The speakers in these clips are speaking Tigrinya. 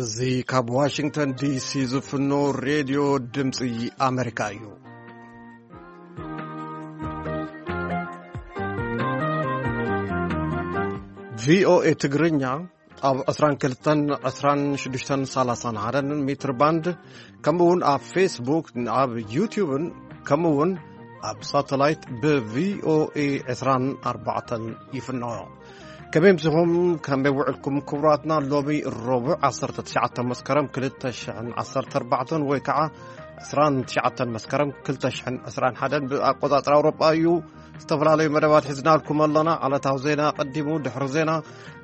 እዚ ካብ ዋሽንግተን ዲሲ ዝፍኖ ሬድዮ ድምፂ ኣሜሪካ እዩ። ቪኦኤ ትግርኛ ኣብ ዕስራን ክልተን፣ ዕስራን ሽዱሽተን፣ ሰላሳን ሓደን ሜትር ባንድ፣ ከምኡ እውን ኣብ ፌስቡክ፣ ኣብ ዩቲዩብን፣ ከምኡ እውን ኣብ ሳተላይት ብቪኦኤ ዕስራን ኣርባዕተን ይፍኖ። ከመይ ምሲኹም? ከመይ ውዕልኩም ክቡራትና? ሎሚ ረቡዕ ዓሰርተ ትሽዓተ መስከረም ክልተ ሽሕን ዓሰርተ ኣርባዕተን ወይ ከዓ ዕስራን ትሽዓተን መስከረም ክልተ ሽሕን ዕስራን ሓደን ብኣቆጻጽራ ኣውሮጳ እዩ። ዝተፈላለዩ መደባት ሒዝናልኩም ኣለና። ዕለታዊ ዜና ቀዲሙ፣ ድሕሪ ዜና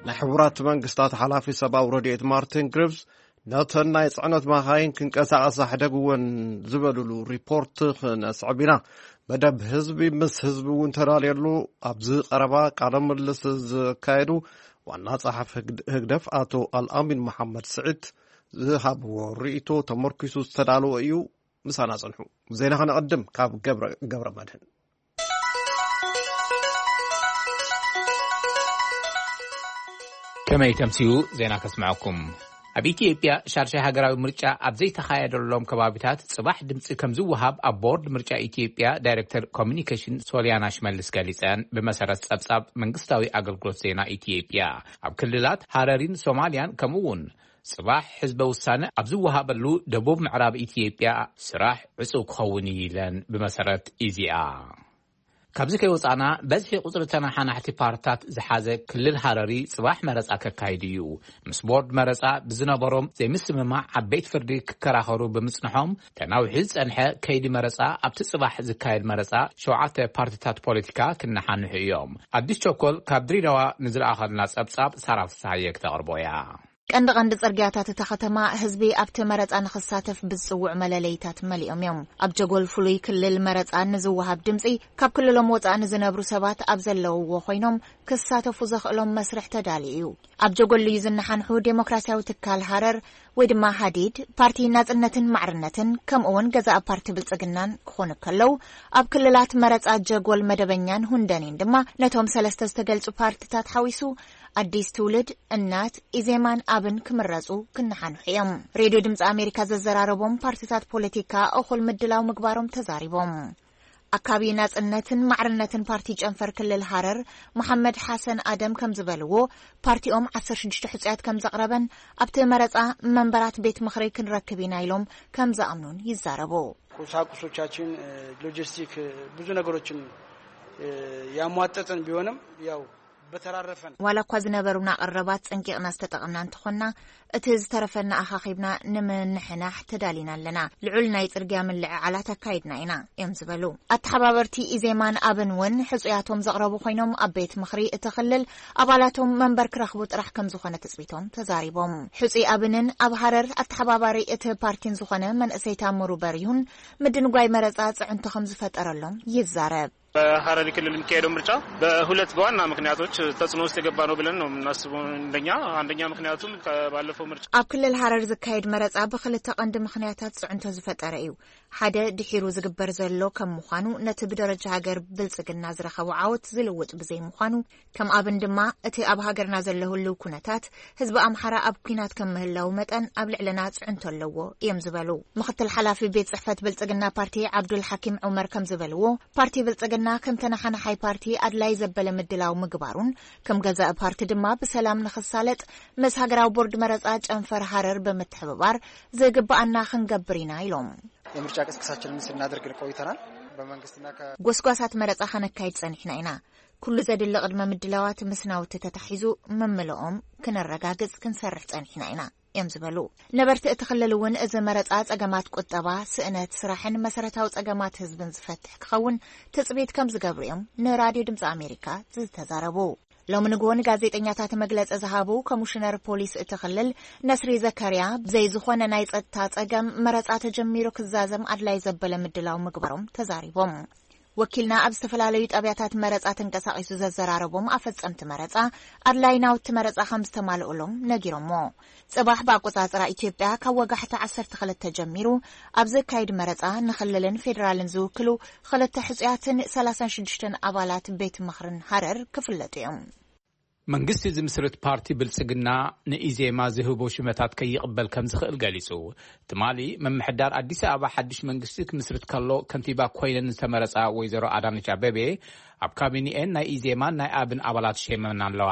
ናይ ሕቡራት መንግስታት ሓላፊ ሰብኣዊ ረድኤት ማርቲን ግሪቭስ ነተን ናይ ጽዕነት መኻይን ክንቀሳቐሳ ሕደግወን ዝበሉሉ ሪፖርት ክነስዕብ ኢና። መደብ ህዝቢ ምስ ህዝቢ እውን ተዳልየሉ ኣብዚ ቀረባ ቃለ ምልልስ ዘካየዱ ዋና ጸሓፊ ህግድ-፣ ህግደፍ ኣቶ ኣልኣሚን መሓመድ ስዒድ ዝሃብዎ ርእይቶ ተመርኪሱ ዝተዳለወ እዩ። ምሳና ጽንሑ። ዜና ከነቐድም ካብ ገብረ፣ ገብረ መድህን። ከመይ ተምስዩ ዜና ከስምዐኩም። ኣብ ኢትዮጵያ ሻድሻይ ሃገራዊ ምርጫ ኣብ ዘይተኻየደሎም ከባቢታት ጽባሕ ድምጺ ከም ዝወሃብ ኣብ ቦርድ ምርጫ ኢትዮጵያ ዳይሬክተር ኮሚኒኬሽን ሶሊያና ሽመልስ ገሊጸን። ብመሰረት ጸብጻብ መንግስታዊ ኣገልግሎት ዜና ኢትዮጵያ፣ ኣብ ክልላት ሃረሪን ሶማልያን ከምኡ እውን ጽባሕ ህዝበ ውሳነ ኣብ ዝወሃበሉ ደቡብ ምዕራብ ኢትዮጵያ ስራሕ ዕጹው ክኸውን እዩ ኢለን። ብመሰረት ኢዜኣ። ካብዚ ከይወጻና፣ በዝሒ ቁጽሪ ተነሓናሕቲ ፓርትታት ዝሓዘ ክልል ሃረሪ ጽባሕ መረጻ ከካይድ እዩ። ምስ ቦርድ መረጻ ብዝነበሮም ዘይምስምማዕ ኣብ ቤት ፍርዲ ክከራኸሩ ብምጽንሖም፣ ተናዊሑ ዝጸንሐ ከይዲ መረጻ ኣብቲ ጽባሕ ዝካየድ መረጻ ሸውዓተ ፓርትታት ፖለቲካ ክነሓንሑ እዮም። ኣዲስ ቸኮል ካብ ድሬዳዋ ንዝለኣኸልና ጸብጻብ ሳራ ፍስሃየ ክተቕርቦ እያ። ቀንዲ ቀንዲ ጽርግያታት እታ ከተማ ህዝቢ ኣብቲ መረጻ ንኽሳተፍ ብዝጽውዑ መለለይታት መሊኦም እዮም። ኣብ ጀጎል ፍሉይ ክልል መረጻ ንዝወሃብ ድምጺ ካብ ክልሎም ወጻኢ ንዝነብሩ ሰባት ኣብ ዘለውዎ ኮይኖም ክሳተፉ ዘኽእሎም መስርሕ ተዳልዩ እዩ። ኣብ ጀጎል እዩ ዝነሓንሑ ዴሞክራሲያዊ ትካል ሃረር ወይ ድማ ሃዲድ፣ ፓርቲ ናጽነትን ማዕርነትን ከምኡ እውን ገዛእ ፓርቲ ብልጽግናን ክኾኑ ከለዉ፣ ኣብ ክልላት መረጻ ጀጎል መደበኛን ሁንደኔን ድማ ነቶም ሰለስተ ዝተገልጹ ፓርትታት ሓዊሱ ኣዲስ ትውልድ፣ እናት፣ ኢዜማን ኣብን ክምረጹ ክነሓንሑ እዮም። ሬድዮ ድምፂ ኣሜሪካ ዘዘራረቦም ፓርቲታት ፖለቲካ እኹል ምድላው ምግባሮም ተዛሪቦም። ኣካቢ ናጽነትን ማዕርነትን ፓርቲ ጨንፈር ክልል ሃረር መሓመድ ሓሰን ኣደም ከም ዝበልዎ፣ ፓርቲኦም ዓሰርተ ሽዱሽተ ሕጹያት ከም ዘቕረበን ኣብቲ መረጻ መንበራት ቤት ምኽሪ ክንረክብ ኢና ኢሎም ከም ዝኣምኑን ይዛረቡ። ቁሳቁሶቻችን፣ እ፣ ሎጂስቲክ፣ እ፣ ብዙ ነገሮችን፣ እ፣ ያሟጠጥን ቢሆንም ያው በተራረፈን ዋላ እኳ ዝነበሩና ቀረባት ጸንቂቕና ዝተጠቐምና እንተኾንና፣ እቲ ዝተረፈና ኣኻኺብና ንምንሕናሕ ተዳሊና ኣለና። ልዑል ናይ ጽርግያ ምልዕዓላት ኣካይድና ኢና እዮም ዝበሉ። ኣተሓባበርቲ ኢዜማን ኣብን እውን ሕጹያቶም ዘቕረቡ ኮይኖም፣ ኣብ ቤት ምኽሪ እቲ ክልል ኣባላቶም መንበር ክረኽቡ ጥራሕ ከም ዝኾነ ትጽቢቶም ተዛሪቦም። ሕጹይ ኣብንን ኣብ ሃረር ኣተሓባባሪ እቲ ፓርቲን ዝኾነ መንእሰይ ታምሩ በሪሁን ምድንጓይ መረጻ ጽዕንቶ ከም ዝፈጠረሎም ይዛረብ። በሐረሪ ክልል የሚካሄደው ምርጫ በሁለት በዋና ምክንያቶች ተጽዕኖ ውስጥ የገባ ነው ብለን ነው የምናስበው። እንደኛ፣ አንደኛ ምክንያቱም ከባለፈው ምርጫ ኣብ ክልል ሃረር ዝካየድ መረጻ ብክልተ ቀንዲ ምክንያታት ጽዕንቶ ዝፈጠረ እዩ። ሓደ ድሒሩ ዝግበር ዘሎ ከም ምዃኑ፣ ነቲ ብደረጃ ሃገር ብልጽግና ዝረኸቦ ዓወት ዝልውጥ ብዘይምዃኑ፣ ከም ኣብን ድማ እቲ ኣብ ሃገርና ዘሎ ህልው ኩነታት ህዝቢ ኣምሓራ ኣብ ኲናት ከም ምህላው መጠን ኣብ ልዕልና ጽዕንቶ ኣለዎ እዮም ዝበሉ። ምክትል ሓላፊ ቤት ጽሕፈት ብልጽግና ፓርቲ ዓብዱል ሓኪም ዑመር ከም ዝበልዎ፣ ፓርቲ ብልጽግና ከም ተነሓናሓይ ፓርቲ ኣድላይ ዘበለ ምድላው ምግባሩን፣ ከም ገዛኢ ፓርቲ ድማ ብሰላም ንኽሳለጥ ምስ ሃገራዊ ቦርድ መረጻ ጨንፈር ሃረር ብምትሕብባር ዝግብኣና ክንገብር ኢና ኢሎም። የምርጫ ቅስቀሳችንን ስናደርግ ቆይተናል። በመንግስትና ከ ጎስጓሳት መረጻ ከነካይድ ጸኒሕና ኢና። ኩሉ ዘድሊ ቅድመ ምድላዋት ምስ ናውቲ ተታሒዙ ምምልኦም ክነረጋግጽ ክንሰርሕ ጸኒሕና ኢና እዮም ዝበሉ። ነበርቲ እቲ ክልል እውን እዚ መረጻ ጸገማት ቁጠባ፣ ስእነት ስራሕን መሰረታዊ ጸገማት ህዝብን ዝፈትሕ ክኸውን ትጽቢት ከም ዝገብሩ እዮም ንራድዮ ድምጺ ኣሜሪካ ዝተዛረቡ። ሎሚ ንግሆ ንጋዜጠኛታት መግለጺ ዝሃቡ ኮሚሽነር ፖሊስ እቲ ክልል ነስሪ ዘከርያ፣ ብዘይ ዝኾነ ናይ ጸጥታ ጸገም መረጻ ተጀሚሩ ክዛዘም ኣድላይ ዘበለ ምድላው ምግባሮም ተዛሪቦም። ወኪልና ኣብ ዝተፈላለዩ ጣብያታት መረጻ ተንቀሳቒሱ ዘዘራረቦም ኣፈጸምቲ መረጻ፣ ኣድላይ ናውቲ መረጻ ከም ዝተማልኡሎም ነጊሮሞ። ጽባሕ ብኣቆጻጽራ ኢትዮጵያ ካብ ወጋሕታ ዓሰርተ ክልተ ጀሚሩ ኣብ ዝካየድ መረጻ ንክልልን ፌደራልን ዝውክሉ ክልተ ሕጹያትን ሰላሳን ሽዱሽተን ኣባላት ቤት ምኽርን ሃረር ክፍለጡ እዮም። መንግስቲ ዝምስርት ፓርቲ ብልጽግና ንኢዜማ ዝህቦ ሽመታት ከይቕበል ከም ዝኽእል ገሊጹ። ትማሊ ምምሕዳር ኣዲስ ኣበባ ሓድሽ መንግስቲ ክምስርት ከሎ ከንቲባ ኮይነን ዝተመረጻ ወይዘሮ ኣዳነች ኣበቤ ኣብ ካቢኔኤን ናይ ኢዜማን ናይ ኣብን ኣባላት ሸይመን ኣለዋ።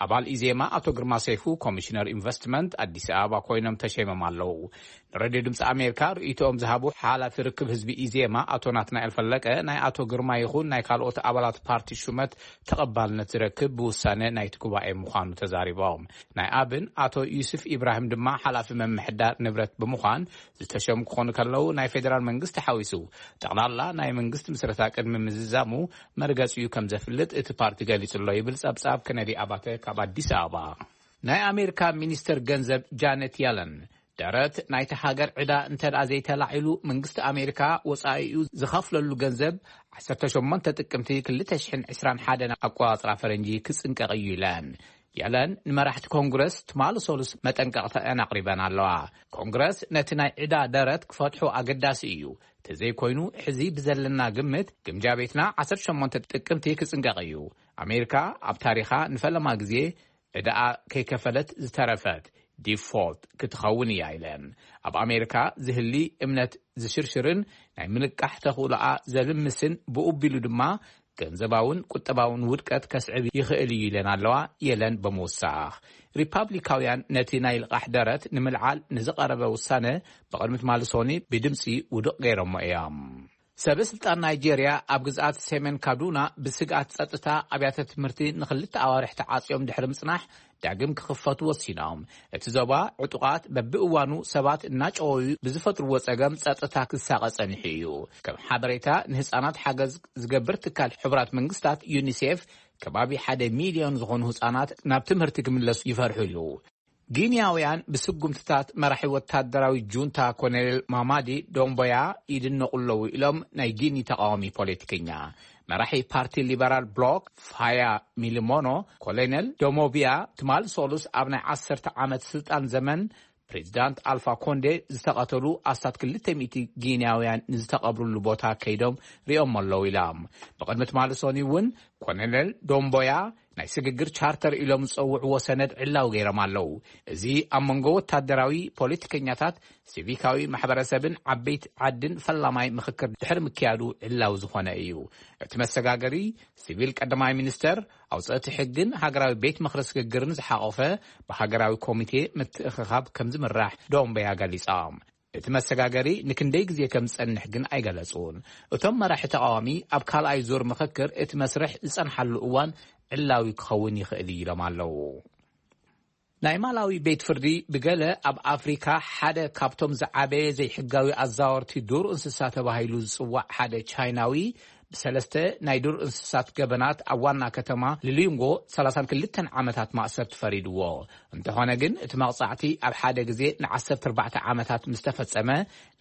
ኣባል ኢዜማ ኣቶ ግርማ ሰይፉ ኮሚሽነር ኢንቨስትመንት ኣዲስ ኣበባ ኮይኖም ተሸይሞም ኣለዉ። ንሬድዮ ድምፂ ኣሜሪካ ርእይቶኦም ዝሃቡ ሓላፊ ርክብ ህዝቢ ኢዜማ ኣቶ ናትናኤል ፈለቀ ናይ ኣቶ ግርማ ይኹን ናይ ካልኦት ኣባላት ፓርቲ ሹመት ተቐባልነት ዝረክብ ብውሳነ ናይቲ ጉባኤ ምዃኑ ተዛሪቦም። ናይ ኣብን ኣቶ ዩስፍ ኢብራሂም ድማ ሓላፊ ምምሕዳር ንብረት ብምዃን ዝተሸሙ ክኾኑ ከለዉ ናይ ፌዴራል መንግስቲ ሓዊሱ ጠቕላላ ናይ መንግስቲ ምስረታ ቅድሚ ምዝዛሙ መርገጺኡ ከም ዘፍልጥ እቲ ፓርቲ ገሊጹ ኣሎ ይብል ጸብጻብ ከነዲ ኣባተ ካብ ኣዲስ ኣበባ። ናይ ኣሜሪካ ሚኒስተር ገንዘብ ጃነት ያለን ደረት ናይቲ ሃገር ዕዳ እንተ ደኣ ዘይተላዒሉ መንግስቲ ኣሜሪካ ወጻኢኡ ዝኸፍለሉ ገንዘብ ዓሰርተ ሸሞንተ ጥቅምቲ ክልተ ሽሕን ዕስራን ሓደን ኣቆጻጽራ ፈረንጂ ክጽንቀቕ እዩ ኢለን። የለን ንመራሕቲ ኮንግረስ ትማሊ ሰሉስ መጠንቀቕተአን ኣቕሪበን ኣለዋ። ኮንግረስ ነቲ ናይ ዕዳ ደረት ክፈትሑ ኣገዳሲ እዩ። ተዘይኮይኑ ሕዚ ብዘለና ግምት ግምጃ ቤትና ዓሰርተ ሸሞንተ ጥቅምቲ ክጽንቀቕ እዩ። ኣሜሪካ ኣብ ታሪኻ ንፈለማ ግዜ ዕዳኣ ከይከፈለት ዝተረፈት ዲፎልት ክትኸውን እያ ኢለን። ኣብ ኣሜሪካ ዝህሊ እምነት ዝሽርሽርን ናይ ምንቃሕ ተኽእሎኣ ዘልምስን ብኡቢሉ ድማ ገንዘባውን ቁጠባውን ውድቀት ከስዕብ ይኽእል እዩ ኢለን ኣለዋ። የለን ብምውሳኽ ሪፓብሊካውያን ነቲ ናይ ልቓሕ ደረት ንምልዓል ንዝቐረበ ውሳነ ብቕድሚ ትማሊ ሶኒ ብድምፂ ውድቕ ገይሮሞ እዮም። ሰበ ስልጣን ናይጄርያ ኣብ ግዝኣት ሰሜን ካዱና ብስግኣት ጸጥታ ኣብያተ ትምህርቲ ንኽልተ ኣዋርሕ ተዓጽዮም ድሕሪ ምጽናሕ ዳግም ክኽፈቱ ወሲኖም። እቲ ዞባ ዕጡቓት በብእዋኑ ሰባት እናጨወዩ ብዝፈጥርዎ ጸገም ጸጥታ ክሳቐ ጸኒሑ እዩ። ከም ሓበሬታ ንህጻናት ሓገዝ ዝገብር ትካል ሕቡራት መንግስታት ዩኒሴፍ ከባቢ ሓደ ሚልዮን ዝኾኑ ህጻናት ናብ ትምህርቲ ክምለሱ ይፈርሑ ኣለዉ። ጊንያውያን ብስጉምትታት መራሒ ወታደራዊ ጁንታ ኮሎኔል ማማዲ ዶምቦያ ይድነቑ ኣለዉ ኢሎም ናይ ጊኒ ተቃዋሚ ፖለቲከኛ። መራሒ ፓርቲ ሊበራል ብሎክ ፋያ ሚሊሞኖ ኮሎኔል ዶሞቢያ ትማል ሶሉስ ኣብ ናይ ዓሰርተ ዓመት ስልጣን ዘመን ፕሬዚዳንት ኣልፋ ኮንዴ ዝተቐተሉ ኣስታት ክልተ ሚእቲ ጊንያውያን ንዝተቐብሩሉ ቦታ ከይዶም ሪኦም ኣለዉ ኢሎም። ብቕድሚ ትማል ሶኒ እውን ኮሎኔል ዶምቦያ ናይ ስግግር ቻርተር ኢሎም ዝጸውዕዎ ሰነድ ዕላው ገይሮም ኣለዉ። እዚ ኣብ መንጎ ወታደራዊ ፖለቲከኛታት ሲቪካዊ ማሕበረሰብን ዓበይቲ ዓድን ፈላማይ ምኽክር ድሕሪ ምክያዱ ዕላው ዝኾነ እዩ። እቲ መሰጋገሪ ሲቪል ቀዳማይ ሚኒስተር ኣውፀእቲ ሕግን ሃገራዊ ቤት ምኽሪ ስግግርን ዝሓቆፈ ብሃገራዊ ኮሚቴ ምትእኽኻብ ከም ዝምራሕ ዶምበያ ገሊፆም። እቲ መሰጋገሪ ንክንደይ ግዜ ከም ዝጸንሕ ግን ኣይገለጹን። እቶም መራሒ ተቃዋሚ ኣብ ካልኣይ ዙር ምኽክር እቲ መስርሕ ዝጸንሓሉ እዋን ዕላዊ ክኸውን ይኽእል እዩ ኢሎም ኣለዉ። ናይ ማላዊ ቤት ፍርዲ ብገለ ኣብ ኣፍሪካ ሓደ ካብቶም ዝዓበየ ዘይሕጋዊ ኣዛወርቲ ዱር እንስሳ ተባሂሉ ዝጽዋዕ ሓደ ቻይናዊ ብሰለስተ ናይ ዱር እንስሳት ገበናት ኣብ ዋና ከተማ ሊሊንጎ ሰላሳን ክልተን ዓመታት ማእሰርቲ ፈሪድዎ። እንተኾነ ግን እቲ መቕጻዕቲ ኣብ ሓደ ግዜ ንዓሰርተ ኣርባዕተ ዓመታት ምስ ተፈጸመ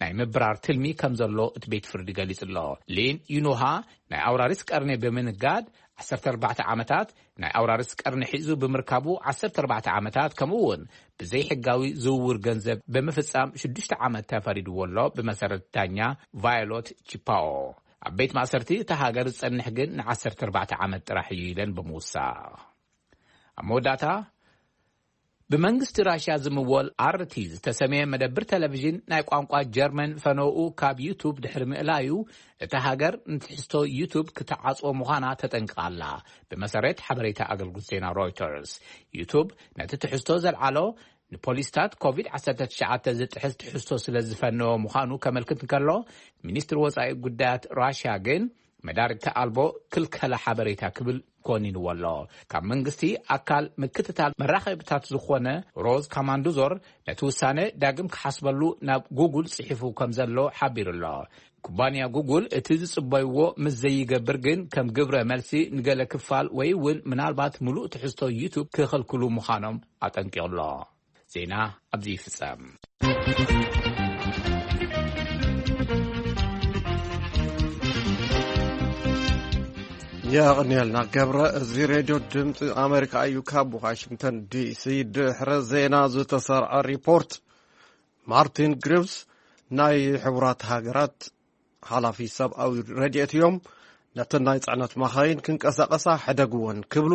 ናይ ምብራር ትልሚ ከም ዘሎ እቲ ቤት ፍርዲ ገሊጹ ኣሎ። ሊን ዩኑሃ ናይ ኣውራሪስ ቀርኒ ብምንጋድ ዓሰርተ ኣርባዕተ ዓመታት ናይ ኣውራሪስ ቀርኒ ሒዙ ብምርካቡ ዓሰርተ ኣርባዕተ ዓመታት ከምኡ እውን ብዘይሕጋዊ ዝውውር ገንዘብ ብምፍጻም ሽዱሽተ ዓመት ተፈሪድዎ ኣሎ። ብመሰረት ዳኛ ቫዮሎት ቺፓኦ ኣብ ቤት ማእሰርቲ እታ ሃገር ዝጸንሕ ግን ንዓሰርተ ኣርባዕተ ዓመት ጥራሕ እዩ ኢለን ብምውሳኽ ኣብ መወዳእታ ብመንግስቲ ራሽያ ዝምወል ኣርቲ ዝተሰመየ መደብር ቴሌቪዥን ናይ ቋንቋ ጀርመን ፈነኡ ካብ ዩቱብ ድሕሪ ምእላዩ እታ ሃገር ንትሕዝቶ ዩቱብ ክትዓጽዎ ምዃና ተጠንቅቓ ኣላ። ብመሰረት ሓበሬታ ኣገልግሎት ዜና ሮይተርስ ዩቱብ ነቲ ትሕዝቶ ዘልዓሎ ንፖሊስታት ኮቪድ ዓሰርተ ትሽዓተ ዝጥሕስ ትሕዝቶ ስለ ዝፈነወ ምዃኑ ከመልክት እንከሎ ሚኒስትሪ ወጻኢ ጉዳያት ራሽያ ግን መዳርግቲ ኣልቦ ክልከላ ሓበሬታ ክብል ኮኒንዎ ኣሎ። ካብ መንግስቲ ኣካል ምክትታል መራኸብታት ዝኾነ ሮዝ ካማንዱዞር ነቲ ውሳነ ዳግም ክሓስበሉ ናብ ጉጉል ጽሒፉ ከም ዘሎ ሓቢሩ ኣሎ። ኩባንያ ጉጉል እቲ ዝጽበይዎ ምስ ዘይገብር ግን ከም ግብረ መልሲ ንገለ ክፋል ወይ እውን ምናልባት ምሉእ ትሕዝቶ ዩቱብ ክኸልክሉ ምዃኖም ኣጠንቂቑ ኣሎ። ዜና ኣብዚ ይፍጸም። የቕንየልና ገብረ። እዚ ሬድዮ ድምፂ ኣሜሪካ እዩ። ካብ ዋሽንግተን ዲሲ ድሕሪ ዜና ዝተሰርዐ ሪፖርት። ማርቲን ግሪቭስ ናይ ሕቡራት ሃገራት ሓላፊ ሰብኣዊ ረድኤት እዮም። ነተን ናይ ጽዕነት መኻይን ክንቀሳቐሳ ሕደግወን ክብሉ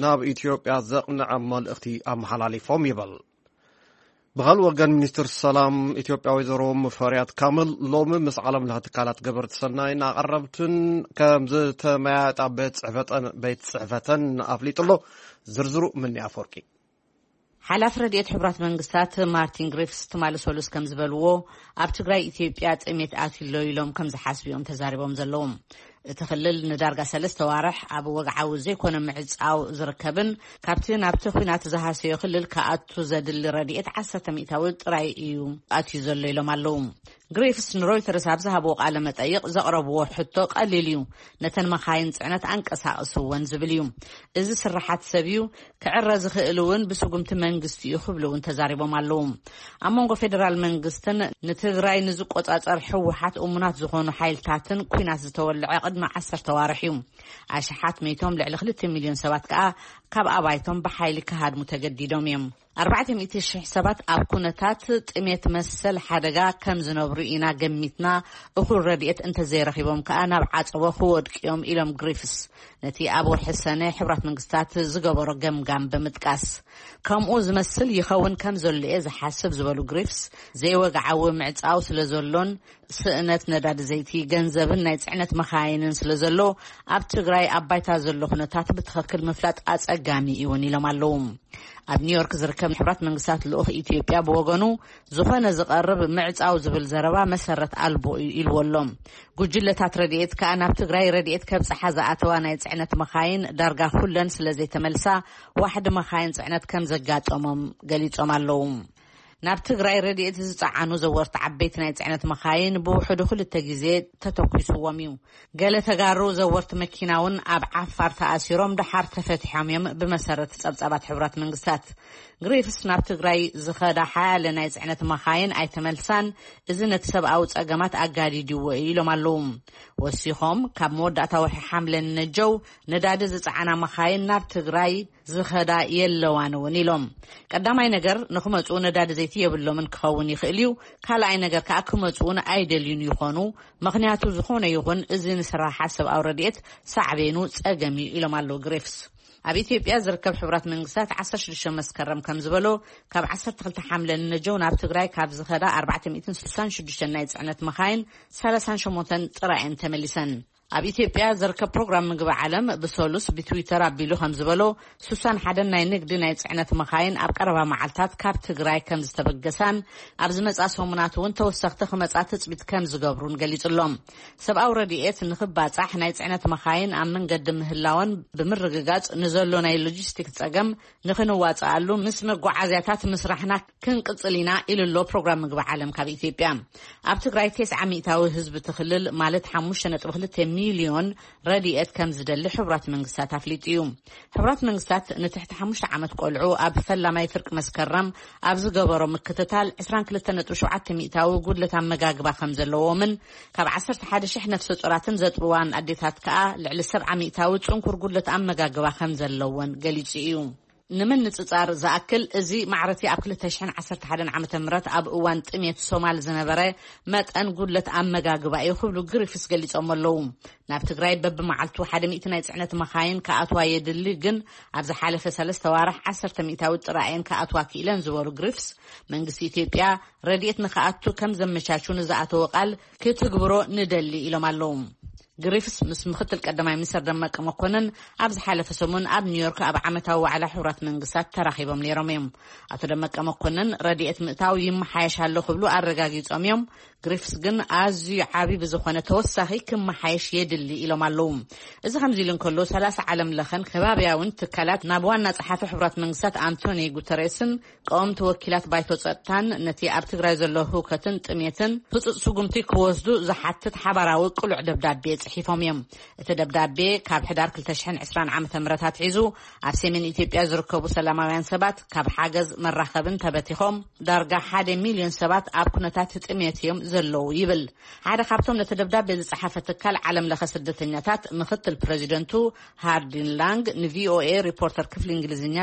ናብ ኢትዮጵያ ዘቕንዐ መልእኽቲ ኣመሓላሊፎም ይብል። ብኻልእ ወገን፣ ሚኒስትር ሰላም ኢትዮጵያ ወይዘሮ ሙፈሪያት ካምል ሎሚ ምስ ዓለም ለኸ ትካላት ገበርቲ ሰናይን ኣቐረብትን ከም ዝተመያየጣ ቤት ጽሕፈተን ኣፍሊጡ ኣሎ። ዝርዝሩ ምኒ ኣፈወርቂ። ሓላፊ ረድኤት ሕቡራት መንግስታት ማርቲን ግሪፍስ ትማሊ ሰሉስ ከም ዝበልዎ፣ ኣብ ትግራይ ኢትዮጵያ ጥሜት ኣትዩሎ ኢሎም ከም ዝሓስቡ እዮም ተዛሪቦም ዘለዉ። እቲ ክልል ንዳርጋ ሰለስተ ዋርሕ ኣብ ወግዓዊ ዘይኮነ ምዕጻው ዝርከብን ካብቲ ናብቲ ኲናት ዝሃሰዮ ክልል ክኣቱ ዘድሊ ረድኤት ዓሰርተ ሚእታዊ ጥራይ እዩ ኣትዩ ዘሎ ኢሎም ኣለዉ። ግሪፍስ ንሮይተርስ ኣብ ዝሃብዎ ቃለ መጠይቕ ዘቕረብዎ ሕቶ ቀሊል እዩ። ነተን መኻይን ጽዕነት ኣንቀሳቕስወን ዝብል እዩ። እዚ ስርሓት ሰብ እዩ፣ ክዕረ ዝኽእል እውን ብስጉምቲ መንግስቲ እዩ ክብሉ እውን ተዛሪቦም ኣለዉ። ኣብ መንጎ ፌደራል መንግስትን ንትግራይ ንዝቆጻጸር ህወሓት እሙናት ዝኾኑ ሓይልታትን ኲናት ዝተወልዐ ቅድሚ ዓሰርተ ዋርሕ እዩ። ኣሽሓት መይቶም ልዕሊ ክልተ ሚልዮን ሰባት ከኣ ካብ ኣባይቶም ብሓይሊ ክሃድሙ ተገዲዶም እዮም። ኣርባዕተ ሚእቲ ሽሕ ሰባት ኣብ ኩነታት ጥሜት መሰል ሓደጋ ከም ዝነብሩ ኢና ገሚትና፣ እኹል ረድኤት እንተዘይረኺቦም ከኣ ናብ ዓጸቦ ክወድቁ እዮም ኢሎም ግሪፍስ፣ ነቲ ኣብ ወርሒ ሰነ ሕቡራት መንግስታት ዝገበሮ ገምጋም ብምጥቃስ። ከምኡ ዝመስል ይኸውን ከም ዘሎ እየ ዝሓስብ ዝበሉ ግሪፍስ፣ ዘይወግዓዊ ምዕጻው ስለ ዘሎን ስእነት ነዳዲ ዘይቲ፣ ገንዘብን ናይ ጽዕነት መኻይንን ስለ ዘሎ፣ ኣብ ትግራይ ኣብ ባይታ ዘሎ ኩነታት ብትኽክል ምፍላጥ ኣጸጋሚ እዩ እውን ኢሎም ኣለዉ። ኣብ ኒውዮርክ ዝርከብ ሕቡራት መንግስታት ልኡኽ ኢትዮጵያ ብወገኑ፣ ዝኾነ ዝቐርብ ምዕጻው ዝብል ዘረባ መሰረት ኣልቦ እዩ ኢልዎ ኣሎ። ጉጅለታት ረድኤት ከኣ ናብ ትግራይ ረድኤት ከብጽሓ ዝኣተዋ ናይ ጽዕነት መኻይን ዳርጋ ኩለን ስለ ዘይተመልሳ፣ ዋሕዲ መኻይን ጽዕነት ከም ዘጋጠሞም ገሊጾም ኣለዉ። ናብ ትግራይ ረድኤት ዝጸዓኑ ዘወርቲ ዓበይቲ ናይ ጽዕነት መኻይን ብውሕዱ ክልተ ግዜ ተተኲስዎም እዩ። ገለ ተጋሩ ዘወርቲ መኪና እውን ኣብ ዓፋር ተኣሲሮም ደሓር ተፈቲሖም እዮም፣ ብመሰረት ጸብጻባት ሕቡራት መንግስታት። ግሪፍስ ናብ ትግራይ ዝኸዳ ሓያለ ናይ ጽዕነት መኻይን ኣይተመልሳን፣ እዚ ነቲ ሰብኣዊ ጸገማት ኣጋዲድዎ እዩ ኢሎም ኣለዉ። ወሲኾም፣ ካብ መወዳእታ ወርሒ ሓምለ ንነጀው ነዳዲ ዝጸዓና መኻይን ናብ ትግራይ ዝኸዳ የለዋን እውን ኢሎም። ቀዳማይ ነገር፣ ንክመጹ ነዳዲ ዘይቲ የብሎምን ክኸውን ይኽእል እዩ። ካልኣይ ነገር ከኣ፣ ክመጹ እውን ኣይደልዩን ይኾኑ። ምኽንያቱ፣ ዝኾነ ይኹን እዚ ንስራሓት ሰብኣዊ ረድኤት ሳዕቤኑ ጸገም እዩ ኢሎም ኣለዉ ግሪፍስ። ኣብ ኢትዮጵያ ዝርከብ ሕቡራት መንግስታት ዓሰርተ ሽዱሽተ መስከረም ከም ዝበሎ፣ ካብ ዓሰርተ ክልተ ሓምለ ንነጀው ናብ ትግራይ ካብ ዝኸዳ ኣርባዕተ ሚእትን ስሳን ሽዱሽተን ናይ ጽዕነት መኻይን ሰላሳን ሸሞንተን ጥራይ እየን ተመሊሰን። ኣብ ኢትዮጵያ ዝርከብ ፕሮግራም ምግቢ ዓለም ብሰሉስ ብትዊተር ኣቢሉ ከም ዝበሎ፣ ስሳን ሓደን ናይ ንግዲ ናይ ጽዕነት መኻይን ኣብ ቀረባ መዓልታት ካብ ትግራይ ከም ዝተበገሳን ኣብ ዝመጻ ሰሙናት እውን ተወሰኽቲ ክመጻ ትጽቢት ከም ዝገብሩን ገሊጹ ኣሎ። ሰብኣዊ ረድኤት ንኽባጻሕ ናይ ጽዕነት መኻይን ኣብ መንገዲ ምህላወን ብምርግጋጽ፣ ንዘሎ ናይ ሎጂስቲክስ ጸገም ንኽንዋጽኣሉ ምስ መጓዓዝያታት ምስራሕና ክንቅጽል ኢና ኢሉ ኣሎ ፕሮግራም ምግቢ ዓለም ካብ ኢትዮጵያ። ኣብ ትግራይ ተስዓ ሚእታዊ ህዝቢ እቲ ክልል፣ ማለት ሓሙሽተ ነጥቢ ክልተ ሚልዮን፣ ረድኤት ከም ዝደሊ ሕቡራት መንግስታት ኣፍሊጡ እዩ። ሕቡራት መንግስታት ንትሕቲ ሓሙሽተ ዓመት ቆልዑ ኣብ ፈላማይ ፍርቂ መስከረም ኣብ ዝገበሮ ምክትታል፣ ዕስራን ክልተ ነጥቢ ሸውዓተ ሚእታዊ ጉድለት ኣመጋግባ ከም ዘለዎምን ካብ ዓሰርተ ሓደ ሽሕ ነፍሰ ጾራትን ዘጥብዋን ኣዴታት ከኣ ልዕሊ ሰብዓ ሚእታዊ ጽንኩር ጉድለት ኣመጋግባ ከም ዘለወን ገሊጹ እዩ። ንምንጽጻር ዝኣክል፣ እዚ ማዕረቲ ኣብ ክልተ ሽሕን ዓሰርተ ሓደን ዓመተ ምህረት ኣብ እዋን ጥሜት ሶማል ዝነበረ መጠን ጉድለት ኣመጋግባ እዩ ክብሉ ግሪፍስ ገሊጾም ኣለዉ። ናብ ትግራይ በብመዓልቱ ሓደ ሚእቲ ናይ ጽዕነት መኻይን ክኣትዋ የድሊ፣ ግን ኣብ ዝሓለፈ ሰለስተ ዋርሕ ዓሰርተ ሚእታዊ ጥራይ እየን ክኣትዋ ክኢለን ዝበሉ ግሪፍስ፣ መንግስቲ ኢትዮጵያ ረድኤት ንኽኣቱ ከም ዘመቻቹ ንዝኣተወ ቃል ክትግብሮ ንደሊ ኢሎም ኣለዉ። ግሪፍስ ምስ ምክትል ቀዳማይ ሚኒስትር ደመቀ መኮንን ኣብ ዝሓለፈ ሰሙን ኣብ ኒውዮርክ ኣብ ዓመታዊ ዋዕላ ሕቡራት መንግስታት ተራኺቦም ነይሮም እዮም። ኣቶ ደመቀ መኮንን ረድኤት ምእታው ይመሓየሽ ኣሎ ክብሉ ኣረጋጊጾም እዮም። ግሪፍስ ግን ኣዝዩ ዓቢ ብዝኾነ ተወሳኺ ክመሓየሽ የድሊ ኢሎም ኣለዉ። እዚ ከምዚ ኢሉ እንከሎ፣ ሰላሳ ዓለም ለኸን ከባብያውን ትካላት ናብ ዋና ጸሓፊ ሕቡራት መንግስታት ኣንቶኒ ጉተሬስን ቀወምቲ ወኪላት ባይቶ ጸጥታን ነቲ ኣብ ትግራይ ዘሎ ህውከትን ጥሜትን ህጹጽ ስጉምቲ ክወስዱ ዝሓትት ሓባራዊ ቅሉዕ ደብዳቤ ጽሒፎም እዮም። እቲ ደብዳቤ ካብ ሕዳር ክልተ ሽሕን ዕስራን ዓመተ ምህረት ኣትሒዙ ኣብ ሰሜን ኢትዮጵያ ዝርከቡ ሰላማውያን ሰባት ካብ ሓገዝ መራኸብን ተበቲኾም ዳርጋ ሓደ ሚልዮን ሰባት ኣብ ኩነታት ጥሜት እዮም ዘለዉ ይብል። ሓደ ካብቶም ነቲ ደብዳቤ ዝጸሓፈ ትካል ዓለም ለኸ ስደተኛታት ምክትል ፕሬዚደንቱ ሃርዲን ላንግ ንቪኦኤ ሪፖርተር ክፍሊ እንግሊዝኛ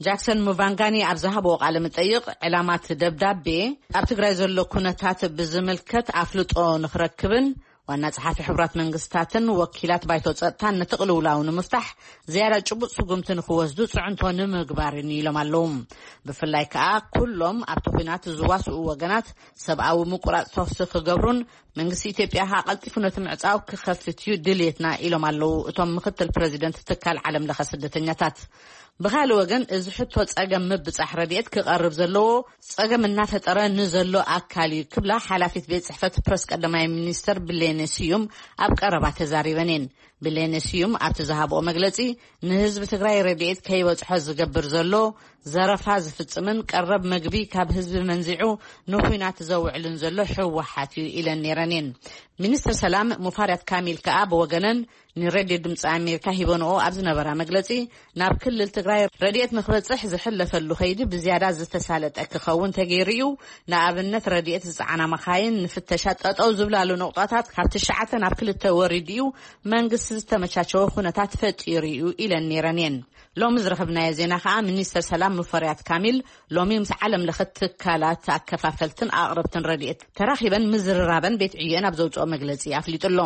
ጃክሰን ሙቫንጋኒ ኣብ ዝሃብዎ ቃለ መጠይቕ፣ ዕላማ እቲ ደብዳቤ ኣብ ትግራይ ዘሎ ኩነታት ብዝምልከት ኣፍልጦ ንኽረክብን ዋና ጸሓፊ ሕቡራት መንግስታትን ወኪላት ባይቶ ጸጥታን ነቲ ቅልውላው ንምፍታሕ ዝያዳ ጭቡጥ ስጉምቲ ንኽወስዱ ጽዕንቶ ንምግባርን ኢሎም ኣለዉ። ብፍላይ ከኣ ኩሎም ኣብቲ ኲናት ዝዋስኡ ወገናት ሰብኣዊ ምቁራጽ ተኹሲ ክገብሩን መንግስቲ ኢትዮጵያ ከኣ ቀልጢፉ ነቲ ምዕጻው ክኸፍት እዩ ድልየትና ኢሎም ኣለዉ እቶም ምክትል ፕረዚደንት ትካል ዓለም ለኸ ስደተኛታት። ብኻልእ ወገን እዚ ሕቶ ጸገም ምብጻሕ ረድኤት ክቐርብ ዘለዎ ጸገም እናፈጠረ ንዘሎ ኣካል እዩ ክብላ ሓላፊት ቤት ጽሕፈት ፕረስ ቀዳማይ ሚኒስተር ብሌነ ስዩም ኣብ ቀረባ ተዛሪበን እየን። ብሌነ ስዩም ኣብቲ ዝሃብኦ መግለጺ ንህዝቢ ትግራይ ረድኤት ከይበጽሖ ዝገብር ዘሎ ዘረፋ ዝፍጽምን ቀረብ መግቢ ካብ ህዝቢ መንዚዑ ንኹናት ዘውዕልን ዘሎ ህወሓት እዩ ኢለን ነይረን እየን። ሚኒስትር ሰላም ሙፋሪያት ካሚል ከኣ ብወገነን ንሬድዮ ድምፂ ኣሜሪካ ሂበንኦ ኣብ ዝነበራ መግለፂ ናብ ክልል ትግራይ ረድኤት ንክበፅሕ ዝሕለፈሉ ከይዲ ብዝያዳ ዝተሳለጠ ክኸውን ተገይሩ እዩ። ንኣብነት ረድኤት ዝፀዓና መኻይን ንፍተሻ ጠጠው ዝብላሉ ነቑጣታት ካብ ትሽዓተ ናብ ክልተ ወሪዱ እዩ። መንግስቲ ዝተመቻቸወ ኩነታት ፈጢሩ እዩ ኢለን ነይረን እየን። ሎሚ ዝረኸብናዮ ዜና ከኣ ሚኒስተር ሰላም ሙፈሪያት ካሚል ሎሚ ምስ ዓለም ለኸ ትካላት ኣከፋፈልትን ኣቕረብትን ረድኤት ተራኺበን ምዝርራበን ቤት ዕዮኤን ኣብ ዘውፅኦ መግለፂ ኣፍሊጡ ኣሎ።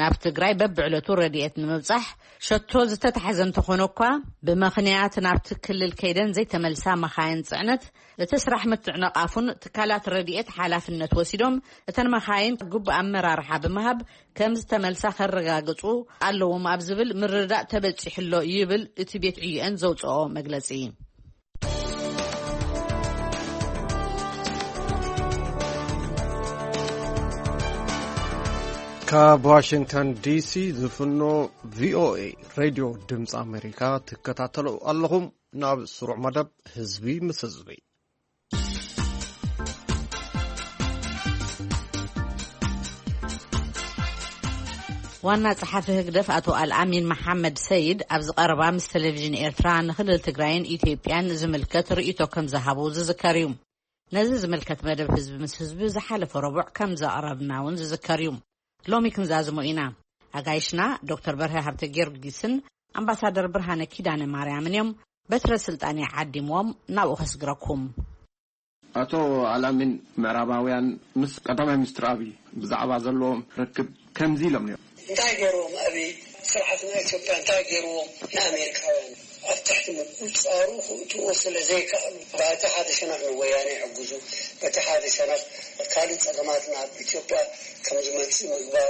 ናብ ትግራይ በብዕለቱ ረድኤት ንምብፃሕ ሸቶ ዝተታሕዘ እንተኾነ እኳ ብምኽንያት ናብቲ ክልል ከይደን ዘይተመልሳ መኻይን ፅዕነት እቲ ስራሕ ምትዕንቓፉን ትካላት ረድኤት ሓላፍነት ወሲዶም እተን መኻይን ግቡእ ኣመራርሓ ብምሃብ ከም ዝተመልሳ ከረጋግፁ ኣለዎም ኣብ ዝብል ምርዳእ ተበፂሑ ኣሎ ይብል እቲ ቤት ዕዮኤን ዘውፅኦ መግለፂ። ካብ ዋሽንግተን ዲሲ ዝፍኖ ቪኦኤ ሬድዮ ድምፂ ኣሜሪካ ትከታተሉ ኣለኹም። ናብ ስሩዕ መደብ ህዝቢ ምስ ህዝቢ። ዋና ጸሓፊ ህግደፍ ኣቶ ኣልኣሚን መሓመድ ሰይድ ኣብዚ ቀረባ ምስ ቴሌቪዥን ኤርትራ ንክልል ትግራይን ኢትዮጵያን ዝምልከት ርእይቶ ከም ዝሃቡ ዝዝከር እዩ። ነዚ ዝምልከት መደብ ህዝቢ ምስ ህዝቢ ዝሓለፈ ረቡዕ ከም ዘቕረብና እውን ዝዝከር እዩ። ሎሚ ክንዛዝሞ ኢና። ኣጋይሽና ዶክተር በርሀ ሃብተ ጊዮርጊስን ኣምባሳደር ብርሃነ ኪዳነ ማርያምን እዮም። በትረ ስልጣን ዓዲምዎም ናብኡ ከስግረኩም። ኣቶ ኣላሚን፣ ምዕራባውያን ምስ ቀዳማይ ሚኒስትር ኣብይ ብዛዕባ ዘለዎም ርክብ ከምዚ ኢሎም ነይሮም። እንታይ ገይርዎም ኣብይ ስርዓት ናይ ኢትዮጵያ እንታይ ገይርዎም ንኣሜሪካውያን ኣብ ትሕቲ ምቁፅፃሩ ክእትዎ ስለ ዘይከኣሉ በቲ ሓደ ሸነኽ ንወያነ ይሕግዙ በቲ ሓደ ሸነኽ ካልእ ፀገማት ናብ ኢትዮጵያ ከም ዝመፅእ ምግባር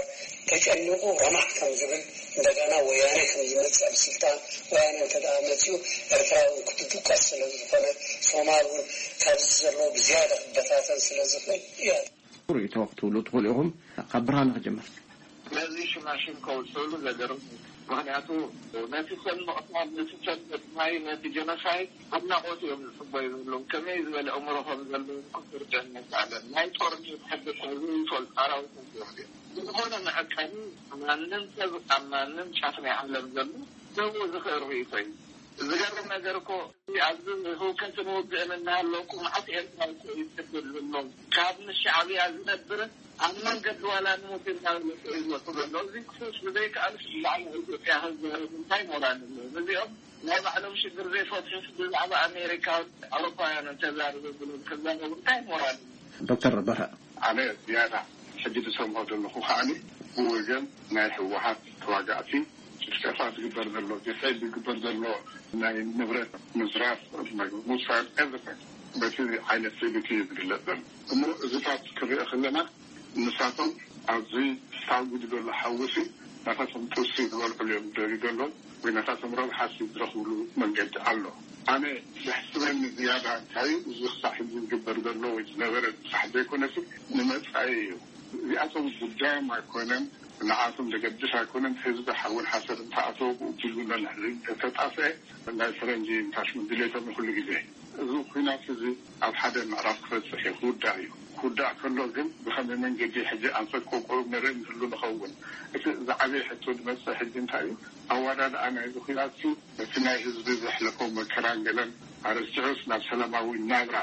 ተጨኒቑ ረማዕ ከም ዝብል እንደገና ወያነ ከም ዝመፅእ ኣብ ስልጣን ወያነ እንተ ደኣ መፅኡ ኤርትራ እውን ክትድቀስ ስለ ዝኾነ ሶማል እውን ካብዚ ዘለዎ ብዝያዳ ክበታተን ስለ ዝኽእል እያ። ርእይቶ ክትብሉ ትኽእሉ ኢኹም። ካብ ብርሃነ ክጀምር። ነዚ ሽማሽም ከውፅእሉ ዘገርም እዩ። ምክንያቱ ነቲ ሰብ ምቕታል፣ ነቲ ሰብ ምጥፋይ፣ ነቲ ጀኖሳይድ ኣድናቖት እዮም ዝፅበዩ ዘለዉ። ከመይ ዝበለ ኣእምሮ ከም ዘለዎም ክትርድአኒ ኣይከኣለን። ናይ ጦርነት ሕጊ እኳ ዘይፈልጡ ኣራዊታት እዮም እዚኦም። ብዝኾነ መዐቀኒ ማንም ሰብ ኣብ ማንም ጫፍ ናይ ዓለም ዘሎ ክህቦ ዝኽእል ርእይቶ እዩ። ዝገርም ነገር እኮ ኣብዚ ህውከትን ውግእን እናሃለወ እኮ መዓት ኤርትራዊ እኮ እዩ ዝስደድ ዘሎ። ካብ ምስ ሻዕብያ ዝነብር ኣብ መንገዲ ዋላ ንሞት እናበለ እኮ እዩ ዝወጡ ዘሎ። እዚ ክፉስ ብዘይከኣልስ ብዛዕባ ኢትዮጵያ ክዛረብ እንታይ ሞራል ኣለዎ? እዚኦም ናይ ባዕሎም ሽግር ዘይፈትሑስ ብዛዕባ ኣሜሪካን ኣውሮፓውያንን ተዛረቡ ብሎም ክዛረቡ እንታይ ሞራል ኣለዎ? ዶክተር በርሀ። ኣነ ዝያዳ ሕጂ ዝሰምዖ ዘለኹ ከዓኒ ብወገን ናይ ህወሓት ተዋጋእቲ ጭፍጨፋ ዝግበር ዘሎ፣ ጀሳይድ ዝግበር ዘሎ ናይ ንብረት ምዝራፍ፣ ምውሳድ everything በቲ ዓይነት ስእሊቲ እዩ ዝግለጽ ዘሎ። እሞ እዚታት ክርእ ከለና ንሳቶም ኣብዚ ሳጉዲ ዘሎ ሓውሲ ናታቶም ጥብሲ ዝበልዕሉ እዮም ደልዩ ዘሎ ወይ ናታቶም ረብሓ ዝረኽብሉ መንገዲ ኣሎ። ኣነ ዘሕስበኒ ዝያዳ እንታይ እዩ፣ እዚ ክሳዕ ሕዚ ዝግበር ዘሎ ወይ ዝነበረ ብሳሕ ዘይኮነሲ ንመጻኢ እዩ። እዚኣቶም ጉዳዮም ኣይኮነን፣ ንዓቶም ዘገድስ ኣይኮነን። ህዝቢ ሓውን ሓሰር እንተኣተወ ብኡ ብሉ ነንሕሪ እንተተጣፍአ ናይ ፈረንጂ እንታሽሙ ድሌቶም እዩ ኩሉ ግዜ። እዚ ኩናት እዚ ኣብ ሓደ ምዕራፍ ክበፅሕ እዩ፣ ክውዳእ እዩ። ክውዳእ ከሎ ግን ብኸመይ መንገዲ ሕጂ ኣንፈት ቆቆሩ ንርኢ ንህሉ ንኸውን። እቲ ዝዓበየ ሕቶ ዝመፅእ ሕጂ እንታይ እዩ? ኣወዳድኣ ናይዚ ኩናት ነቲ ናይ ህዝቢ ዘሕለፎ መከራን ገለን ኣረሲዑስ ናብ ሰላማዊ ናብራ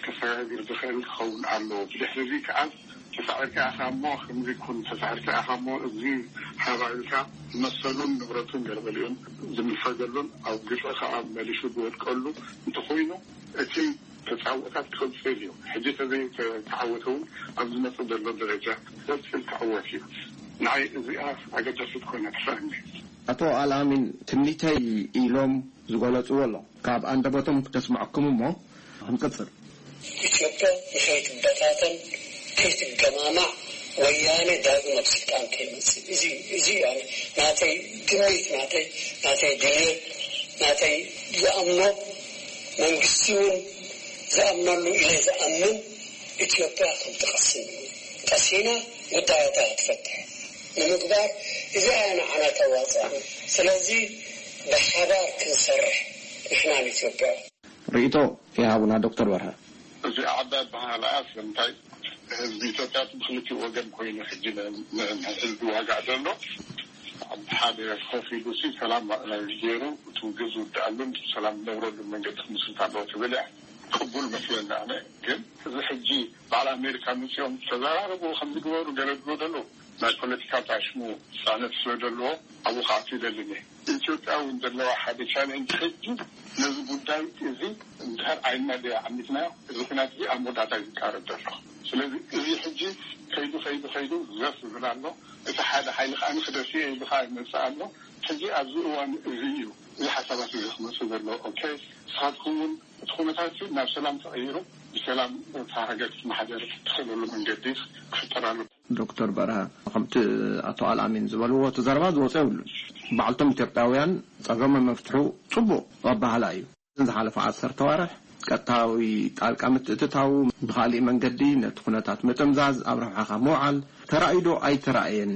ከሰጋግር ዝኽእል ክኸውን ኣለዎ። ብድሕሪ እዚ ከኣ ተሳዒርካ ኢኻ እሞ ከምዚ ኩን፣ ተሳዒርካ ኢኻ እሞ እዚ ሃባ ኢልካ መሰሉን ንብረቱን ገለመሊኡን ዝንፈገሉን ኣብ ግፍዒ ከኣ መሊሱ ዝወድቀሉ እንተኾይኑ እቲ ተጻብኦታት ክቕጽል እዩ። ሕጂ ተዘይተዓወተ እውን ኣብ ዝመጽእ ዘሎ ደረጃ ክቕጽል ክዕወት እዩ። ንዓይ እዚኣ ኣገዳሲት ኮይና ትስኣኒ። ኣቶ ኣልኣሚን ትምኒተይ ኢሎም ዝገለጽዎ ኣሎ። ካብ ኣንደበቶም ክተስምዐኩም እሞ ክንቅጽል። ኢትዮጵያ ንኸይትበታተን፣ ከይትገማማዕ፣ ወያነ ዳግም ኣብ ስልጣን ከይመጽእ፣ እዚ እዚ ኣነ ናተይ ትምኒት፣ ናተይ ናተይ ድልየት፣ ናተይ ዝኣምኖ፣ መንግስቲ እውን ዝኣምነሉ ኢለ ዝኣምን፣ ኢትዮጵያ ከም ትቐስን እዩ። ቀሲና ጉዳያታ ክትፈትሕ ንምግባር፣ እዚኣ እያ ንዓና ተዋፅኣና። ስለዚ ብሓባር ክንሰርሕ፣ ንሕና ንኢትዮጵያ። ርእይቶ ይሃቡና ዶክተር በርሀ። እዚ ዓባይ ኣበሃህላኣ ስለምንታይ ህዝቢ ኢትዮጵያ ብክልቲኡ ወገን ኮይኑ ሕጂ ንህዝቢ ዋጋእ ዘሎ ኣብ ሓደ ኮፍ ኢሉ ሲ ሰላም ገይሩ እቲ ውግእ ዝውድኣሉን ሰላም ዝነብረሉን መንገዲ ክምስርት ኣለዎ ትብል እያ። ቅቡል መስለኒ ኣነ። ግን እዚ ሕጂ በዓል ኣሜሪካ መፂኦም ተዘራረቡ ከምዚ ግበሩ ገለ ዝብሉ ዘለዉ ናይ ፖለቲካ ጣሽሙ ፅዕነት ስለ ዘለዎ ኣብኡ ክኣቱ ይደልን እየ። ኢትዮጵያ እውን ዘለዋ ሓደ ቻሌንጅ ሕጂ ነዚ ጉዳይ እዚ እንድሕር ኣይና ደኣ ዓሚትና እዚ ኩናት እዚ ኣብ መወዳእታ እዩ ዝቃረብ ዘሎ። ስለዚ እዚ ሕጂ ከይዱ ከይዱ ከይዱ ዘፍ ዝብል ኣሎ። እቲ ሓደ ሓይሊ ከዓ ንክደሲ ኢሉ ከዓ ይመፅእ ኣሎ። ሕጂ ኣብዚ እዋን እዚ እዩ እዚ ሓሳባት እዚ ክመፅእ ዘለዎ። ኦኬ ንስኻትኩም እውን እቲ ኩነታት ናብ ሰላም ተቐይሩ ብሰላም እታ ሃገር ክትመሓደር ትኽእለሉ መንገዲ ክፍጠር ኣሎ። ዶክተር በርሀ ከምቲ ኣቶ ኣልኣሚን ዝበልዎ እቲ ዘረባ ዝወፀ የብሉን። ባዕልቶም ኢትዮጵያውያን ፀገሞም መፍትሑ ፅቡቕ ኣባህላ እዩ። ዝሓለፈ ዓሰርተ ዋርሕ ቀጥታዊ ጣልቃ ምትእትታው ብኻሊእ መንገዲ ነቲ ኩነታት ምጥምዛዝ ኣብ ረብሓኻ ምውዓል ተራእዩ ዶ ኣይተራእየን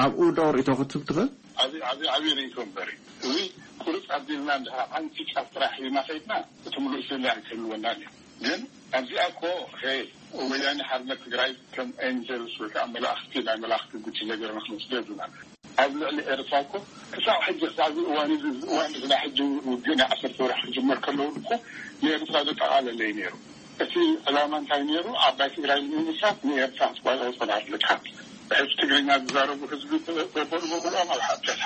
ኣብኡ ዶ ርእይቶ ክትህብ ትኽእል? ዓብዪ ዓብዪ ዓብዪ ርእይቶ እምበር እዚ ቁርፅ ኣቢልና እንድሕር ሓንቲ ጫፍ ጥራሕ ሒዝና ከይድና እቲ ምሉእ ስእሊ ኣይክህልወናን እዩ። ግን ኣብዚኣ እኮ ሄ ወያኔ ሓርነት ትግራይ ከም ኤንጀልስ ወይ ከዓ መላእኽቲ ናይ መላእኽቲ ጉጅለ ገይርና ክንወስዶ የብልናን። ኣብ ልዕሊ ኤርትራ እኮ ክሳብ ሕጂ ክሳብ እዚ እዋን እዚ እዚ እዋን እዚ ናይ ሕጂ ውግእ ናይ ዓሰርተ ወርሒ ክጅመር ከለዉ እኮ ንኤርትራ ዘጠቓለለ እዩ ነይሩ። እቲ ዕላማ እንታይ ነይሩ? ዓባይ ትግራይ ንምምስራት ንኤርትራ ክትቋጸር ኣለካ። ብሕጂ ትግርኛ ዝዛረቡ ህዝቢ በበሉ በብሎም ኣብ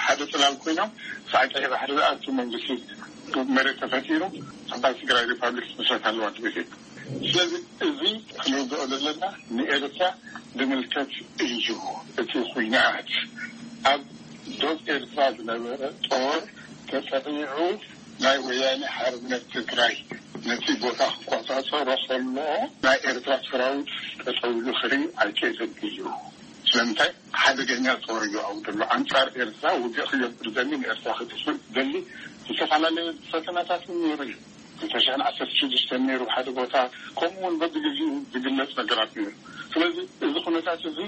ሓደ ጽላል ኮይኖም ክሳዕ ቀይሕ ባሕሪ ዝኣቱ መንግስቲ መሬት ተፈጢሩ ዓባይ ትግራይ ሪፓብሊክ ክትምስረት ኣለዋ ትብል እያ። ስለዚ እዚ ክንርድኦ ዘለና ንኤርትራ ዝምልከት እዩ። እቲ ኹናት ኣብ ዶብ ኤርትራ ዝነበረ ጦር ተጠቒዑ ናይ ወያነ ሓርነት ትግራይ ነቲ ቦታ ክቆጻጸሮ ከሎ ናይ ኤርትራ ሰራዊት ጠጠው ኢሉ ክርኢ ኣይክእልን እዩ። ስለምንታይ ሓደገኛ ጦር እዩ ኣብኡ ዘሎ። ኣንጻር ኤርትራ ውግእ ክገብር ዘሊ ንኤርትራ ክጥፍእ ዘሊ ዝተፈላለዩ ፈተናታት እውን ነይሩ እዩ። ክልተ ሽሕን ዓሰርተ ሽዱሽተን ነይሩ ሓደ ቦታ ከምኡ እውን በብግዜኡ ዝግለጽ ነገራት ነይሩ። ስለዚ እዚ ኩነታት እዚ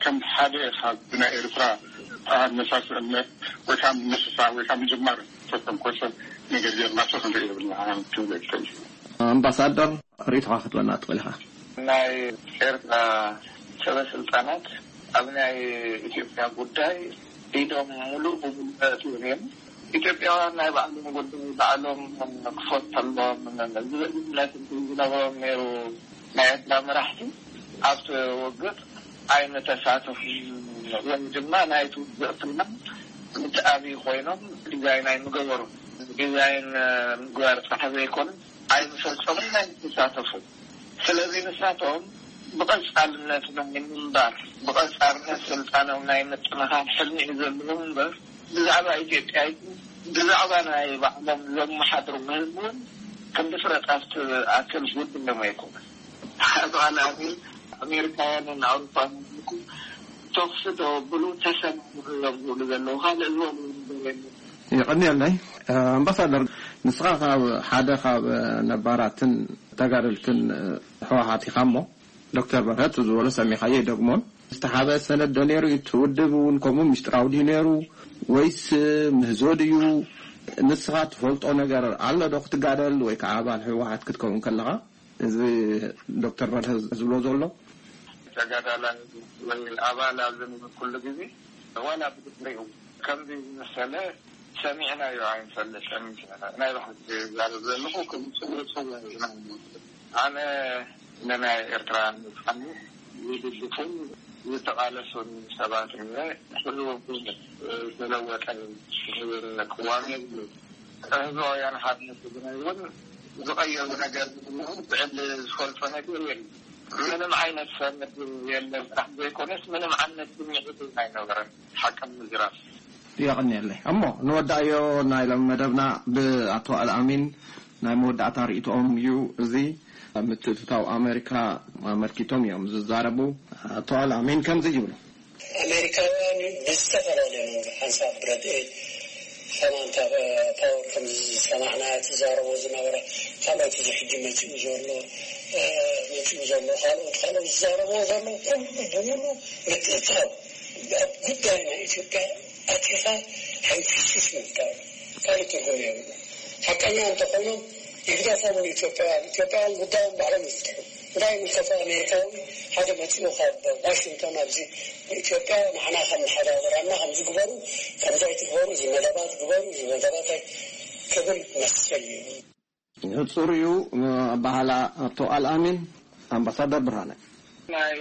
ከም ሓደ ካብ ብናይ ኤርትራ ኣነሳስእነት ወይ ከዓ ምንስሳ ወይ ከዓ ምጅማር ዝተተንኮሰ ነገር ጌርናቶ ክንርኢ የብልና ክብል ይክእል እዩ። ኣምባሳደር ርእይቶኻ ክትበና ትኽእል ኢኻ። ናይ ኤርትራ ሰበ ስልጣናት ኣብ ናይ ኢትዮጵያ ጉዳይ ኢዶም ሙሉእ ብሙሉእ ኣእትዮም እዮም። ኢትዮጵያውያን ናይ ባዕሎም ጉዳይ ባዕሎም ክፈትሑ ኣለዎም ዝብል እምነት እንተዝነበሮም ነይሩ ናይ ኤርትራ መራሕቲ ኣብቲ ውግእ ኣይምተሳተፉን ወይ ድማ ናይቲ ውግእ ፍልማት እቲ ኣብይ ኮይኖም ዲዛይን ኣይምገበሩን። ዲዛይን ምግባር ጥራሕ ዘይኮነ ኣይምፈጸሙን ኣይምተሳተፉን። ስለዚ ንሳቶም ብቐጻልነት ናይ ምንባር ብቐጻልነት ስልጣኖም ናይ ምጥንኻር ሕልሚ እዩ ዘለዎም እምበር ብዛዕባ ኢትዮጵያ ይኹን ብዛዕባ ናይ ባዕሎም ዘመሓድርዎ ህዝቢ እውን ክንዲ ፍረጣፍ ትኣክል ጉድሎም ኣይኮነን። ኣቶ ኣልኣሚን ኣሜሪካውያንን ኣውሮፓውያንን ይኹን ተኹሲ ተወብሉ ተሰማምዑ እዮም ዝብሉ ዘለዉ ካልእ ዝበልዎ ነገር የለን። የቐንየለይ ኣምባሳደር፣ ንስኻ ካብ ሓደ ካብ ነባራትን ተጋደልትን ህወሓት ኢኻ እሞ ዶክተር በርሀ እቲ ዝበሎ ሰሚዕኻዮ ኣይደግሞን። ዝተሓበ ሰነድ ዶ ነይሩ እቲ ውድብ እውን ከምኡ ምስጢራዊ ድዩ ነይሩ ወይስ ምህዞ ድዩ? ንስኻ ትፈልጦ ነገር ኣሎ ዶ ክትጋደል ወይ ከዓ ኣባል ህወሓት ክትከውን ከለኻ? እዚ ዶክተር በርሀ ዝብሎ ዘሎ። ተጋዳላይ ወይ ኣባል ኣብ ዝነበርኩሉ ግዜ ዋላ ብድሕሪኡ ከምዚ ዝመሰለ ሰሚዕናዮ ኣይንፈልጥን። ናይ ብሓቂ ዝዛረብ ዘለኹ ከም ፅቡቅ ሰብ ኢና ንወስዶ። ኣነ ንናይ ኤርትራ ነፃነት ዝድግፉን ዝተቓለሱን ሰባት እየ። ኩሉ ዝተለወጠ ቅዋም የብሉን። ህዝባውያን ሓርነት ትግራይ እውን ዝቐየሩ ነገር ብዕሊ ዝፈልጦ ነገር የለን። ምንም ዓይነት ሰብ ምድብ የለን። ጥራሕ ዘይኮነስ ምንም ዓይነት ስምዒት እውን ኣይነበረን። ሓቂ ንምዝራብ። የቐንየለይ። እሞ ንወዳእዮ ናይ ሎሚ መደብና ብኣቶ ኣልኣሚን ናይ መወዳእታ ርእይቶኦም እዩ። እዚ ምትእትታው ኣሜሪካ ኣመልኪቶም እዮም ዝዛረቡ። ኣቶ ኣልኣሚን ከምዚ ይብሉ። ኣሜሪካውያን ብዝተፈላለየ መንገዲ ሓንሳብ ብረድኤት ከማን ካብ ፓወር ከም ዝሰማዕና ትዛረቦ ዝነበረ ካልኦት እዚ ሕጂ መፂኡ ዘሎ መፂኡ ዘሎ ካልኦት ካልኦት ዝዛረቦ ዘሎ ኩሉ ብምሉ ምትእታው ኣብ ጉዳይ ናይ ኢትዮጵያ ኣቲኻ ሕንፍሽፍሽ ምፍጣር ካልእ ትርጉም የብሉ። ሓቀኛ እንተኾይኖም ይግደፎም ንኢትዮጵያውያን። ኢትዮጵያውያን ጉዳዮም ባዕሎም ይፍትሑ። እንታይ ይምልከቶ ኣሜሪካዊ ሓደ መፂኡ ካብ ዋሽንግቶን ኣብዚ ንኢትዮጵያ ንዓና ከም መሓዳደራና ከም ዝግበሩ ከምዚ ኣይትግበሩ፣ እዚ መደባት ግበሩ፣ እዚ መደባት ኣይ- ክብል መሰል እዩ። ጽሩዩ ኣባህላ ኣቶ ኣልኣሚን። ኣምባሳደር ብርሃነ። ናይ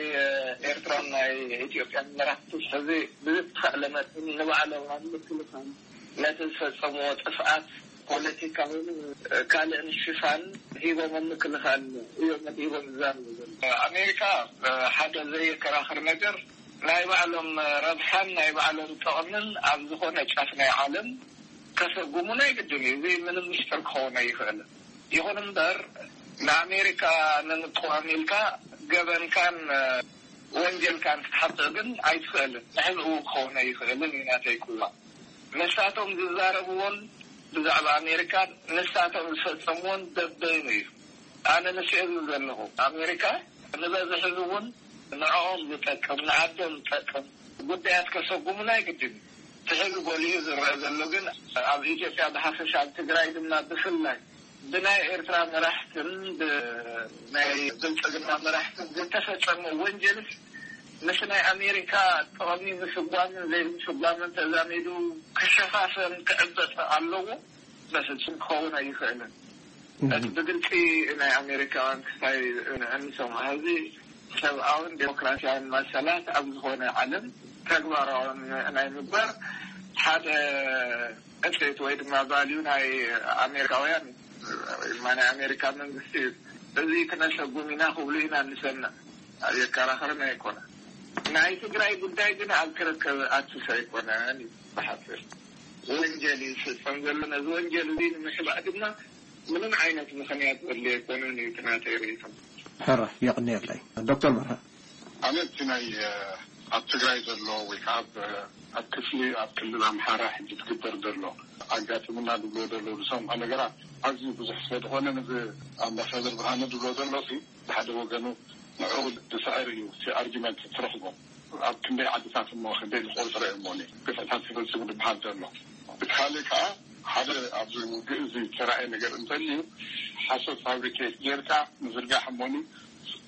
ኤርትራን ናይ ኢትዮጵያን መራሕቲ ሕዚ ብዝተኻእለ መጠን ንባዕሎም ኣብ ምክልኻል ነቲ ዝፈጸምዎ ጥፍኣት ፖለቲካውን ካልእን ሽፋን ሂቦም ኣብ ምክልኻል እዮም መዲቦም ዝዛረቡ ዘለዉ። ኣሜሪካ ሓደ ዘየከራኽር ነገር ናይ ባዕሎም ረብሓን ናይ ባዕሎም ጥቕምን ኣብ ዝኾነ ጫፍ ናይ ዓለም ከሰጉሙ ናይ ግድን እዩ። እዚ ምንም ምስጢር ክኸውን ኣይኽእልን። ይኹን እምበር ንኣሜሪካ ንምቅዋም ኢልካ ገበንካን ወንጀልካን ክትሓጥእ ግን ኣይትኽእልን። ንሕዝኡ ክኸውን ኣይኽእልን እዩ ናተይ ክዋ። ንሳቶም ዝዛረብዎን ብዛዕባ ኣሜሪካ ንሳቶም ዝፈጸምዎን በበይኑ እዩ። ኣነ ንስዕብ ዘለኹ ኣሜሪካ ንበዝሒ እውን ንዕኦም ዝጠቅም ንዓዶም ዝጠቅም ጉዳያት ከሰጉሙ ናይ ግድን እዩ። እቲ ሕዚ ጎሊሁ ዝረአ ዘሎ ግን ኣብ ኢትዮጵያ ብሓፈሻ ኣብ ትግራይ ድማ ብፍላይ ብናይ ኤርትራ መራሕትን ብናይ ብልጽግና መራሕትን ዝተፈጸመ ወንጀልስ ምስ ናይ ኣሜሪካ ጥቕሚ ምስጓምን ዘይምስጓምን ተዛሚዱ ክሸፋፈን ክዕበጥ ኣለዎ። በፍጹም ክኸውን ኣይኽእልን። እቲ ብግልፂ ናይ ኣሜሪካውያን ክስታይ እንሰምዖ ሕዚ ሰብኣውን ዴሞክራሲያውን መሰላት ኣብ ዝኾነ ዓለም ተግባራውን ናይ ምግባር ሓደ እሴት ወይ ድማ ቫልዩ ናይ ኣሜሪካውያን እዩ። ወይ ድማ ናይ ኣሜሪካ መንግስቲ እዩ። እዚ ክነሰጉም ኢና ክብሉ ኢና እንሰምዕ። የከራኸርን ኣይኮነ። ናይ ትግራይ ጉዳይ ግን ኣብ ክርክር ኣትስ ኣይኮነን እዩ ብሓፂር። ወንጀል ይፍፀም ዘሎ። ነዚ ወንጀል እዚ ንምሕባእ ድማ ምንም ዓይነት ምኽንያት ዘድልዮ ኣይኮነን እዩ እቲ ናተይ ርእይቶ። ሕራይ የቕንየለይ። ዶክተር በርሀ። ኣነ እቲ ናይ ኣብ ትግራይ ዘሎ ወይ ከዓ ኣብ ክፍሊ ኣብ ክልል ኣምሓራ ሕጂ ትግበር ዘሎ ኣጋጥምና ዝብሎ ዘሎ ዝሰምዖ ነገራት ኣዝዩ ብዙሕ ስለ ዝኾነ ነዚ ኣምባሳደር ብርሃነ ዝብሎ ዘሎ ሲ ብሓደ ወገኑ ንዕኡ ዝስዕር እዩ እቲ ኣርጊመንት ትረኽቦ። ኣብ ክንደይ ዓድታት እሞ ክንደይ ዝቆፅረ እሞ ግፍዕታት ይፈፅሙ ዝበሃል ዘሎ። እቲ ካልእ ከዓ ሓደ ኣብዚ ውግእ እዚ ተራእየ ነገር እንተልዩ ሓሶት ፋብሪኬት ጌርካ ምዝርጋሕ እሞኒ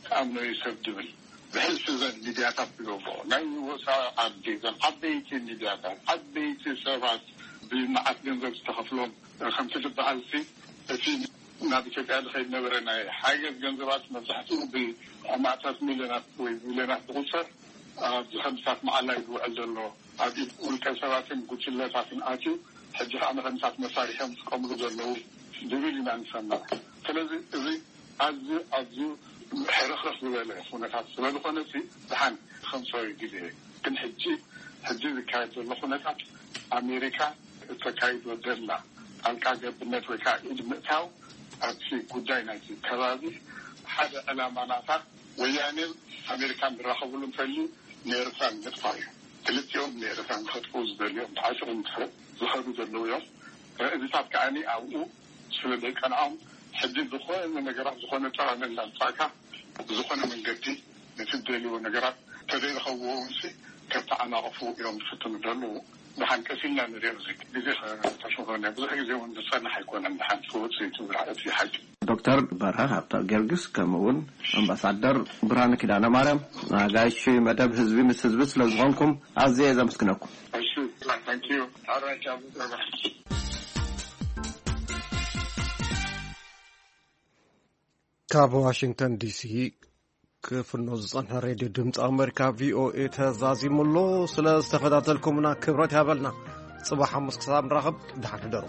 ተኣምኖ እዩ ሰብ ድብል ብሕልፊ ዘን ሚድያታት ዝገብሮ ናይ ወፃኢ ዓዲ ዘን ዓበይቲ ሚድያታት ዓበይቲ ሰባት ብመዓት ገንዘብ ዝተኸፍሎም ከምቲ ዝበሃል ሲ እቲ ናብ ኢትዮጵያ ዝኸይድ ነበረ ናይ ሓገዝ ገንዘባት መብዛሕትኡ ብኣማእታት ሚልዮናት ወይ ቢልዮናት ዝቁፀር ኣብ ዝኸምሳት መዓላ እዩ ዝውዕል ዘሎ ኣብ ኢድ ውልቀ ሰባትን ጉጅለታትን ኣትዩ ሕጂ ከዓ ንኸምሳት መሳሪሖም ዝጥቀምሉ ዘለዉ ዝብል ኢና ንሰማዕ። ስለዚ እዚ ኣዝዩ ኣዝዩ ሕርኽርኽ ዝበለ ኩነታት ስለዝኾነ ሲ ድሓን ከምሰዊ ግዜ ግን ሕጂ ሕጂ ዝካየድ ዘሎ ኩነታት ኣሜሪካ እተካይዶ ደላ ጣልቃ ገብነት ወይ ከዓ ኢድ ምእታው ኣብቲ ጉዳይ ናይቲ ከባቢ ሓደ ዕላማ ናታ ወያኔን ኣሜሪካን ዝራኸብሉ እንተልዩ ንኤርትራ ንምጥፋእ እዩ። ክልቲኦም ንኤርትራ ንኸጥፍኡ ዝደልዮም ተዓጢቖም ዝኸዱ ዘለዉ እዮም። ረእዚታት ከዓኒ ኣብኡ ስለ ዘይቀንዖም ሕጂ ዝኾነ ነገራት ዝኾነ ጠቐመ እንዳምፃእካ ብዝኾነ መንገዲ ነቲ ዝደልይዎ ነገራት ተዘይረኸብዎ እውንሲ ከተዓናቕፉ እዮም ዝፍትኑ ዘለዉ። ደሓን ቀስ ኢልና ንሪኦ እዚ ግዜ ከተሽሆነ ብዙሕ ግዜ እውን ዝፀንሕ ኣይኮነን። ደሓን ክወፅእ እዩ እቲ ሓቂ። ዶክተር በርሀ ሃብተ ጊዮርጊስ ከምኡ እውን ኣምባሳደር ብርሃነ ኪዳነ ማርያም ኣጋይሽ መደብ ህዝቢ ምስ ህዝቢ ስለ ዝኾንኩም ኣዝየ ዘመስግነኩም። እሺ፣ thank you። ካብ ዋሽንግተን ዲሲ ክፍኖ ዝጸንሐ ሬድዮ ድምፂ ኣመሪካ ቪኦኤ ተዛዚሙ ኣሎ። ስለ ዝተኸታተልኩምና ክብረት ያበልና። ጽባሕ ሓሙስ ክሳብ ንራኸብ ደሓን ሕደሩ።